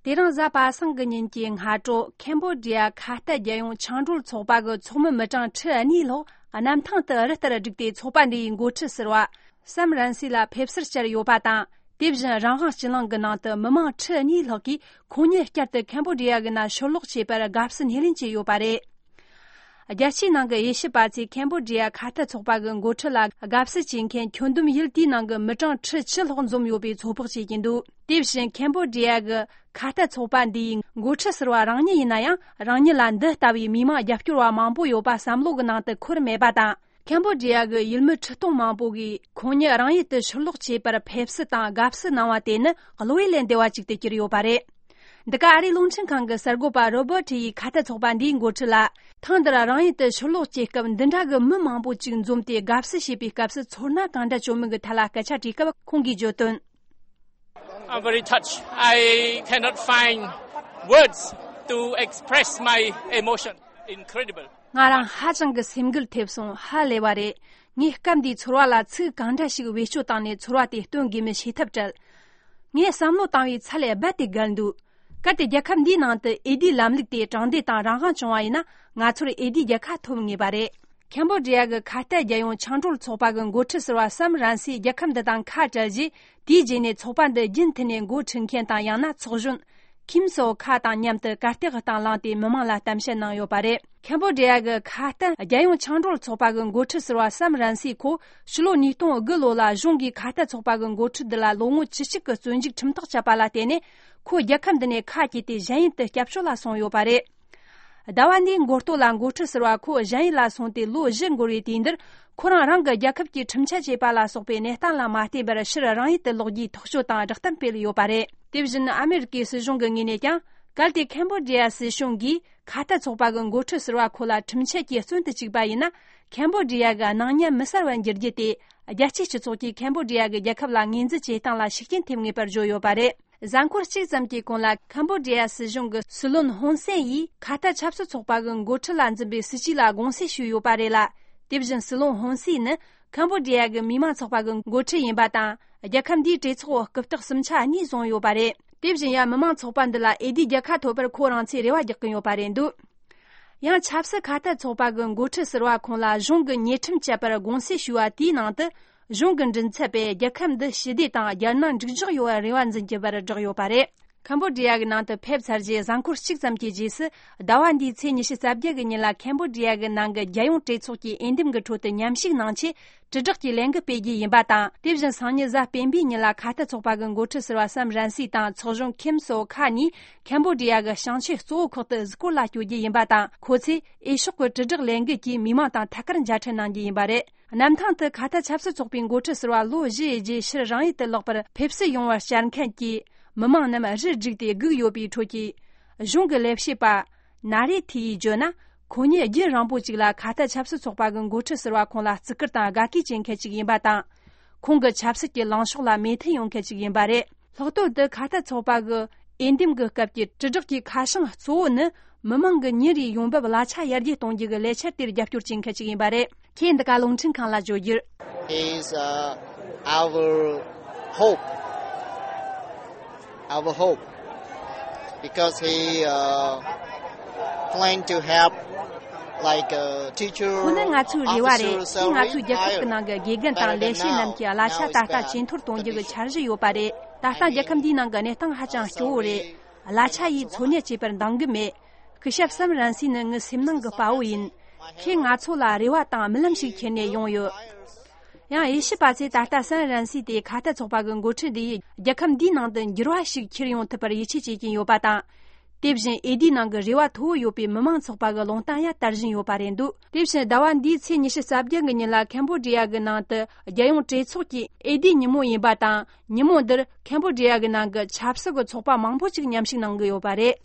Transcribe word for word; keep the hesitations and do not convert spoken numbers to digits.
དེ་རིང་གཟའ་པ་སངས་ཀྱི་ཉིན་གྱི་སྔ་དྲོ། ཁེམ་བོ་ཌི་ཡ་ཁ་གཏད་རྒྱལ་ཡོངས་ཆང་གྲོལ་ཚོགས་པ་གི་ཚོགས་མི་མི་གྲངས་ཁྲི་གཉིས་ལྷག་གནམ་ཐང་དུ་རི་ལྟར་བསྒྲིགས་ཏེ། ཚོགས་པ་འདི་ཡི་འགོ་ཁྲིད་ཟུར་པ་སམ་རན་སི་ལ་ཕེབས་བསུར་བཅར་ཡོད་པ་དང་། དེ་བཞིན་རང་དབང་སྤྱི་གླིང་གི་ནང་དུ་མི་མང་ཁྲི་གཉིས་ལྷག་གིས་ཁོང་ཉིད་བསྐྱར་དུ་ཁེམ་བོ་ཌི་ཡ་གི་ནང་ཕྱིར་ལོག་བྱས་པར་དགའ་བསུ་སྣེ་ལེན་བྱས་ཡོད་པ་རེད། རྒྱལ་སྤྱིའི་ནང་གི་དབྱེ་ཞིབ་པ་ཚོས་ཁེམ་བོ་ཌི་ཡ་ཁ་གཏད་ཚོགས་པ་གི་འགོ་ཁྲིད་ལ་དགའ་བསུ་བྱེད་མཁན་ཁྱོན་བསྡོམས་ཡུལ་དེའི་ནང་གི་མི་གྲངས་ཁྲི་བཅུ་ལྷག་འཛོམས་ཡོད་པའི་ཚོད་དཔག་བྱེད་ཀྱིན་འདུག་དེ་བཞིན་ཁེམ་བོ་ཌི་ཡ་གི་ཁ་གཏད་ཚོགས་པ་འདིའི་འགོ་ཁྲིད་ཟུར་པ་རང་ཉིད་ཡིན་ན་ཡང་། རང་ཉིད་ལ་འདི་ལྟ་བུའི་མི་མང་རྒྱབ་སྐྱོར་བ་མང་པོ་ཡོད་པ་བསམ་བློ་གི་ནང་དུ་འཁོར་མེད་པ་དང་། ཁེམ་བོ་ཌི་ཡ་གི་ཡུལ་མི་ཁྲི་སྟོང་མང་པོ་གིས་ཁོང་ཉིད་རང་ཡུལ་དུ་ཕྱིར་ལོག་བྱས་པར་ཕེབས་བསུ་དང་དགའ་བསུ་གནང་བ་དེ་ནི་བློ་ཡུལ་ལས་འདས་པ་ཅིག་ཏུ་གྱུར་ཡོད་པ་རེད། འདི་ག་ཨ་རིའི་རླུང་འཕྲིན་ཁང་གི་གསར་འགོད་པ་རོ་བར་ཊི་ཡིས་ཁ་གཏད་ཚོགས་པ་འདིའི་འགོ་ཁྲིད་ལ། ཐེངས་འདིར་རང་ཡུལ་དུ་ཕྱིར་ལོག་བྱེད་སྐབས་འདི་འདྲ་གི་མི་མང་པོ་ཅིག་འཛོམས་ཏེ་དགའ་བསུ་བྱེད་པའི་སྐབས་སུ་ཚོར་སྣང་གང་འདྲ་བྱུང་མིན་གྱི་ཐད་ལ་སྐད་ཆ་དྲིས་སྐབས། ཁོང་གིས་བརྗོད་དོན། I'm very touched. I cannot find words to express my emotion. Incredible. ང་རང་ཧ་ཅང་གི་སེམས་འགུལ་ཐེབས་སོང་། ཧ་ལས་པ་རེད། ངས་སྐབས་འདིའི་ཚོར་བ་ལ་ཚིག་གང་འདྲ་ཞིག་བེད་སྤྱོད་བཏང་ནས་ཚོར་བ་དེ་སྟོན་དགོས་མིན་ཤེས་ཐབས་བྲལ། ངས་བསམ་བློ་བཏང་བའི་ཚད་ལས་རྦད་དེ་བརྒལ་འདུག་གལ་ཏེ་རྒྱལ་ཁབ་འདིའི་ནང་དུ་འོས་བསྡུའི་ལམ་ལུགས་དེ་དྲང་བདེན་དང་རང་དབང་བྱུང་བ་ཡིན་ན། ང་ཚོར་འོས་བསྡུའི་རྒྱལ་ཁ་ཐོབ་ངེས་པ་རེད། ཁེམ་བོ་ཌི་ཡ་གི་ཁ་གཏད་རྒྱལ་ཡོངས་ཆང་གྲོལ་ཚོགས་པ་གི་འགོ་ཁྲིད་ཟུར་པ་སམ་རན་སིས་རྒྱལ་ཁབ་འདི་དང་ཁ་བྲལ་རྗེས། དེའི་རྗེས་ནས་ཚོགས་པ་འདི་རྒྱུན་མཐུད་ནས་འགོ་ཁྲིད་མཁན་དང་ཡང་ན་ཚོགས་གཞོན་ཁིམ་སོ་ཁ་དང་མཉམ་དུ་གར་སྟེགས་སྟེང་ལངས་ཏེ་མི་མང་ལ་གཏམ་བཤད་གནང་ཡོད་པ་རེད། ཁེམ་བོ་ཌི་ཡ་གི་ཁ་གཏད་རྒྱལ་ཡོངས་ཆང་གྲོལ་ཚོགས་པ་གི་འགོ་ཁྲིད་ཟུར་པ་སམ་རན་སི་ཁོ་ཕྱི་ལོ་ཉིས་སྟོང་དགུ་ལོ་ལ་གཞུང་གིས་ཁ་གཏད་ཚོགས་པ་གི་འགོ་ཁྲིད་འདི་ལ་ལོ་ངོ་བཅུ་གཅིག་གི་བཙོན་འཇུག་ཁྲིམས་ཐག་བཅད་པ་ལ་བརྟེན་ནས། ཁོ་རྒྱལ་ཁབ་འདི་ནས་ཁ་གྱེས་ཏེ་གཞན་ཡུལ་དུ་སྐྱབས་བཅོལ་ལ་སོང་ཡོད་པ་རེད། ཟླ་བ་འདིའི་འགོ་སྟོད་ལ་འགོ་ཁྲིད་ཟུར་པ་ཁོ་གཞན་ཡུལ་ལ་སོང་སྟེ་ལོ་བཞི་འགོར་བའི་དུས་འདིར། ཁོ་རང་རང་གི་རྒྱལ་ཁབ་ཀྱི་ཁྲིམས་ཆད་བཅད་པ་ལ་སོགས་པའི་གནས་སྟངས་ལ་མ་བལྟས་པར་ཕྱིར་རང་ཡུལ་དུ་ལོག་རྒྱུའི་ཐག་གཅོད་དང་བསྒྲགས་གཏམ་སྤེལ་ཡོད་པ་རེད། དེ་བཞིན་ཨ་མེ་རི་ཀའི་སྲིད་གཞུང་གི་ངོས་ནས་ཀྱང་། གལ་ཏེ་ཁེམ་བོ་ཌི་ཡ་སྲིད་གཞུང་གིས་ཁ་གཏད་ཚོགས་པ་གི་འགོ་ཁྲིད་ཟུར་པ་ཁོ་ལ་ཁྲིམས་ཆད་ཀྱིས་བཙོན་དུ་བཅུག་པ་ཡིན་ན། ཁེམ་བོ་ཌི་ཡ་གི་སྣང་བརྙན་མི་གསལ་བར་འགྱུར་རྒྱུ་དེ། རྒྱལ་སྤྱིའི་སྤྱི་ཚོགས་ཀྱིས་ཁེམ་བོ་ཌི་ཡ་གི་རྒྱལ་ཁབ་ལ་ངོས་འཛིན་བྱེད་སྟངས་ལ་ཤུགས་རྐྱེན་ཐེབས་ངེས་པར་བརྗོད་ཡོད་པ་རེད། གཟའ་འཁོར་གཅིག་ཙམ་གྱི་གོང་ལ་ཁམ་བོ་ཌི་ཡ་སྲིད་གཞུང་གི་སྲིད་བློན་ཧོན་སེན་ཡིས་ཁ་གཏད་ཆབ་སྲིད་ཚོགས་པ་གི་འགོ་ཁྲིད་ལ་འཛིན་པའི་སྲིད་ཇུས་ལ་དགོངས་སེལ་ཞུས་ཡོད་པ་རེད་ལ། དེ་བཞིན་སྲིད་བློན་ཧོན་སེན་ནི་ཁམ་བོ་ཌི་ཡ་གི་མི་དམངས་ཚོགས་པ་གི་འགོ་ཁྲིད་ཡིན་པ་དང་། རྒྱལ་ཁབ་འདིའི་གྲོས་ཚོགས་འོག་རྐུབ་སྟེགས་གསུམ་ཆ་གཉིས་བཟུང་ཡོད་པ་རེད། དེ་བཞིན་ཡང་མི་དམངས་ཚོགས་པ་འདི་ལ་འོས་བསྡུའི་རྒྱལ་ཁ་ཐོབ་པར་ཁོ་རང་ཚོས་རེ་བ་རྒྱག་གིན་ཡོད་པ་རེད་འདུག་ཡང་ཆབ་སྲིད་ཁ་གཏད་ཚོགས་པ་གི་འགོ་ཁྲིད་ཟུར་པ་ཁོང་ལ་གཞུང་གི་ཉེས་ཁྲིམས་བཅད་པར་དགོངས་སེལ་ཞུས་པ་དེའི་ནང་དུ། གཞུང་གི་མགྲིན་ཚབ་པས་རྒྱལ་ཁབ་འདི་ཞི་བདེ་དང་རྒྱལ་ནང་འགྲིག་འཇགས་ཡོང་བར་རེ་བ་འཛིན་གྱི་བར་བསྒྲགས་ཡོད་པ་རེད། ཁམ་བོ་ཌི་ཡ་གི་ནང་དུ་ཕེབས་ཚར་རྗེས་གཟའ་འཁོར་གཅིག་ཙམ་གྱི་རྗེས་སུ། ཟླ་བ་འདིའི་ཚེས་ཉི་ཤུ་རྩ་བརྒྱད་གི་ཉིན་ལ་ཁམ་བོ་ཌི་ཡ་གི་ནང་གི་རྒྱལ་ཡོངས་གྲོས་ཚོགས་ཀྱི་འོས་འདེམས་ཀྱི་ཁྲོད་དུ་མཉམ་ཞུགས་གནང་ཆེད། དྲིལ་བསྒྲགས་ཀྱི་ལས་འགུལ་སྤེལ་རྒྱུ་ཡིན་པ་དང་། དེ་བཞིན་སང་ཉིན་གཟའ་སྤེན་པའི་ཉིན་ལ་ཁ་གཏད་ཚོགས་པ་གི་འགོ་ཁྲིད་ཟུར་པ་སམ་རན་སི་དང་ཚོགས་གཞོན་ཁིམ་སོ་ཁ་གཉིས་ཁམ་བོ་ཌི་ཡ་གི་ཞིང་ཆེན་གཙོ་བོ་ཁག་ཏུ་གཟིགས་སྐོར་ལ་བསྐྱོད་རྒྱུ་ཡིན་པ་དང་། ཁོ་ཚོས་འོས་ཤོག་གི་དྲིལ་བསྒྲགས་ལས་འགུལ་གྱིས་མི་མང་དང་ཐད་ཀར་མཇལ་འཕྲད་གནང་རྒྱུ་ཡིན་པ་རེད། གནམ་ཐང་དུ་ཁ་གཏད་ཆབ་སྲིད་ཚོགས་པའི་འགོ་ཁྲིད་ཟུར་པ་ལོ་བཞི་ཡི་རྗེས་ཕྱིར་རང་ཡུལ་དུ་ལོག་པར་ཕེབས་བསུ་ཡོང་བར་བཅར་མཁན་གྱི་མི་མང་རྣམས་རུ་བསྒྲིགས་ཏེ་སྒུག་ཡོད་པའི་ཁྲོད་ཀྱི་གཞུང་གི་ལས་བྱེད་པ་ན་རེ་ཐི་ཡིས་བརྗོད་ན། ཁོང་ཉིད་རྒྱུན་རིང་པོ་ཅིག་ལ་ཁ་གཏད་ཆབ་སྲིད་ཚོགས་པ་གི་འགོ་ཁྲིད་ཟུར་པ་ཁོང་ལ་བརྩི་བཀུར་དང་དགའ་གུས་བྱེད་མཁན་ཅིག་ཡིན་པ་དང་། ཁོང་གི་ཆབ་སྲིད་ཀྱི་ལངས་ཕྱོགས་ལ་མོས་མཐུན་ཡོང་མཁན་ཅིག་ཡིན་པ་རེད། ལྷག་དོན་དུ་ཁ་གཏད་ཚོགས་པ་གི་འོས་འདེམས་ཀྱི་སྐབས་ཀྱི་དྲིལ་བསྒྲགས་ཀྱི་ཁ་བྱང་གཙོ་བོ་ནི། མི་མང་གི་ཉིན་རེའི་ཡོང་འབབ་གླ་ཆ་ཡར་རྒྱས་གཏོང་རྒྱུ་གི་ལས་འཆར་དེར་རྒྱབ་སྐྱོར་བྱེད་མཁན་ཅིག་ཡིན་པ་རེད། ཁོས་འདི་ག་རླུང་འཕྲིན་ཁང་ལ་བརྗོད་རྒྱུར། He is uh, our hope. Our hope. Because he uh, plan to help like uh, teacher, ཁོ་ནི་ང་ཚོའི་རེ་བ་རེད། officer, དེས་ང་ཚོའི་རྒྱལ་ཁབ་ཀྱི་ནང་གི་དགེ་རྒན་དང་ལས་བྱེད་རྣམས་ཀྱི་གླ་ཆ་ད་ལྟ་ཇེ་མཐོར་གཏོང་རྒྱུ་གི་འཆར་གཞི་ཡོད་པ་རེད། ད་ལྟ་རྒྱལ་ཁབ་འདིའི་ནང་གི་གནས་སྟངས་ཧ་ཅང་སྐྱོ་བོ་རེད། གླ་ཆ་ཡིས་འཚོ་གནས་བྱེད་པར་འདང་གི་མེད། སྐུ་ཞབས་སམ་རན་སི་ནི་ངའི་སེམས་ནང་གི་དཔའ་བོ་ཡིན། ཁོས་ང་ཚོ་ལ་རེ་བ་དང་རྨི་ལམ་ཞིག་ཁྱེར་ནས་ཡོང་ཡོད། ཡང་དབྱེ་ཞིབ་པ་ཚོས་ད་ལྟ་སམ་རན་སི་དེ་ཁ་གཏད་ཚོགས་པ་གི་འགོ་ཁྲིད་འདི་ཡིས་རྒྱལ་ཁབ་འདིའི་ནང་དུ་འགྱུར་བ་ཞིག་ཁྱེར་ཡོང་ཐུབ་པར་ཡིད་ཆེས་བྱེད་ཀྱིན་ཡོད་པ་དང་། དེ་བཞིན་འོས་བསྡུའི་ནང་གི་རེ་བ་མཐོ་བོ་ཡོད་པའི་མི་མང་ཚོགས་པ་གི་ལུང་བསྟན་ཡང་དར་བཞིན་ཡོད་པ་རེད་འདུག་དེ་བཞིན་ཟླ་བ་འདིའི་ཚེས་ཉི་ཤུ་རྩ་བརྒྱད་གི་ཉིན་ལ་ཁམ་བོ་ཌི་ཡ་གི་ནང་དུ་རྒྱལ་ཡོངས་གྲོས་ཚོགས་ཀྱི་འོས་བསྡུའི་ཉིན་མོ་ཡིན་པ་དང་། ཉིན་མོ་འདིར་ཁམ་བོ་ཌི་ཡ་གི་ནང་གི་ཆབ་སྲིད་ཀྱི་ཚོགས་པ་མང་པོ་ཅིག་མཉམ་ཞུགས་གནང་གི་ཡོད་པ་རེད།